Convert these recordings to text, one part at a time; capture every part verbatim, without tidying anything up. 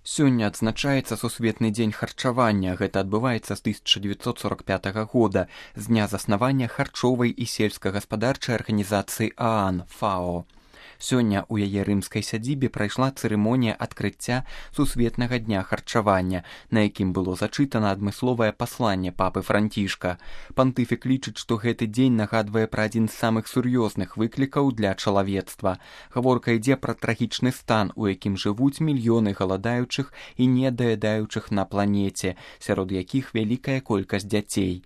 Сёння адзначаецца сусветны дзень харчавання. Гэта адбываецца з тысяча дзевяцьсот сорок пятага года, з дня заснавання харчовай і сельскагаспадарчай арганізацыі ААН ФАО. Сёння ў яе рымскай сядзібе прайшла цырымонія адкрыцця сусветнага дня харчавання, на якім было зачытана адмысловае пасланне папы Францішка. Пантыфік лічыць, што гэты дзень нагадвае пра адзін з самых сур'ёзных выклікаў для чалавецтва. Гаворка ідзе пра трагічны стан, у якім жывуць мільёны галадаючых і недаядаючых на планеце, сярод якіх вялікая колькасць дзяцей.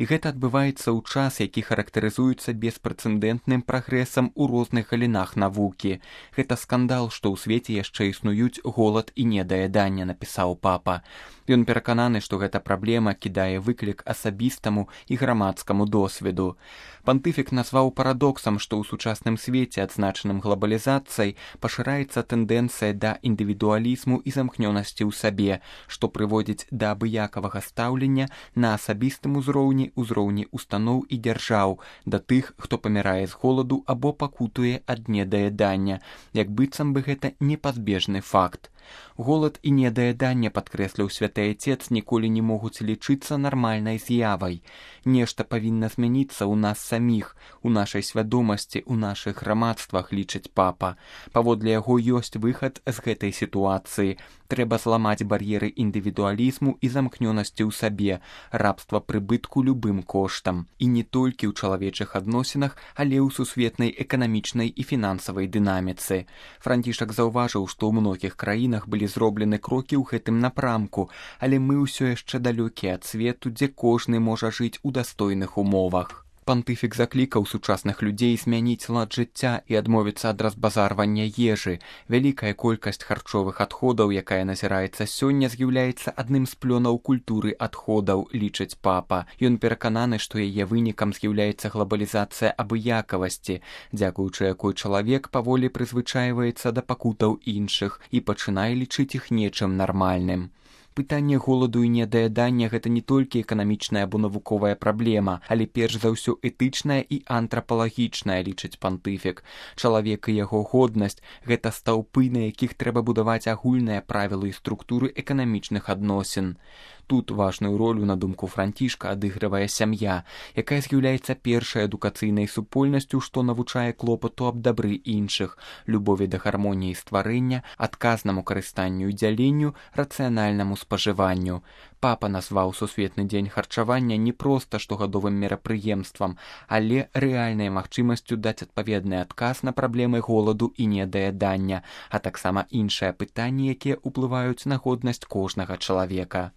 І гэта адбываецца ў час, які характарызуецца беспрэцэдэнтным прагрэсам у розных галінах навукі. Гэта скандал, што ў свеце яшчэ існуюць голад і недаяданне, напісаў папа. Ён перакананы, што гэта праблема кідае выклік асабістаму і грамадскаму досведу. Пантыфік назваў парадоксам, што ў сучасным свеце, адзначаным глобалізацыяй, пашыраецца тэндэнцыя да індывідуалізму і замкнёнасці ў сабе, што прыводзіць да абыякавага стаўлення на асабістым узроўні, узроўні устаноў і дзяржаў, да тых, хто памірае з голаду або пакутуе ад недаядання, як быццам бы гэта непазбежны факт. Голад і недаяданне, падкрэсліў святы Отец, ніколі не могуць лічыцца нармальнай з'явай. Нешта павінна змяніцца ў нас саміх, у нашай свядомасці, у нашых грамадствах, лічыць папа. Паводле яго ёсць выхад з гэтай сітуацыі. Трэба зламаць бар'еры індывідуалізму і замкнёнасці ў сабе, рабства прыбытку любым коштам. І не толькі ў чалавечых адносінах, але ў сусветнай эканамічнай і фінансавай дынаміцы. Францішак заўважыў, што ў многіх краінах былі зроблены крокі ў гэтым напрамку, але мы ўсё яшчэ далёкія ад свету, дзе кожны можа жыць у дастойных умовах. Пантыфік заклікаў сучасных людзей змяніць лад жыцця і адмовіцца ад разбазарвання ежы. Вялікая колькасць харчовых адходаў, якая назіраецца сёння, з'яўляецца адным з плёнаў культуры адходаў, лічыць папа. Ён перакананы, што яе вынікам з'яўляецца глобалізацыя абыякавасці, дзякуючы якой чалавек паволі прызвычайваецца да пакутаў іншых і пачынае лічыць іх нечым нармальным. Пытанне голаду і недаядання – гэта не толькі эканамічная або навуковая праблема, але перш за ўсё этычная і антрапалагічная, лічыць пантыфік. Чалавек і яго годнасць – гэта стаўпы, на якіх трэба будаваць агульныя правілы і структуры эканамічных адносін. Тут важную ролю, на думку Францішка, адыгрывае сям'я, якая з'яўляецца першай адукацыйнай супольнасцю, што навучае клопату аб дабры іншых, любові да гармоніі стварэння, адказнаму карыстанню і дзяленню, рацыянальнаму спажыванню. Папа назваў сусветны дзень харчавання не проста штогадовым мерапрыемствам, але рэальнай магчымасцю даць адпаведны адказ на праблемы голаду і недаядання, а таксама іншыя пытанні, якія ўплываюць на годнасць кожнага чалавека.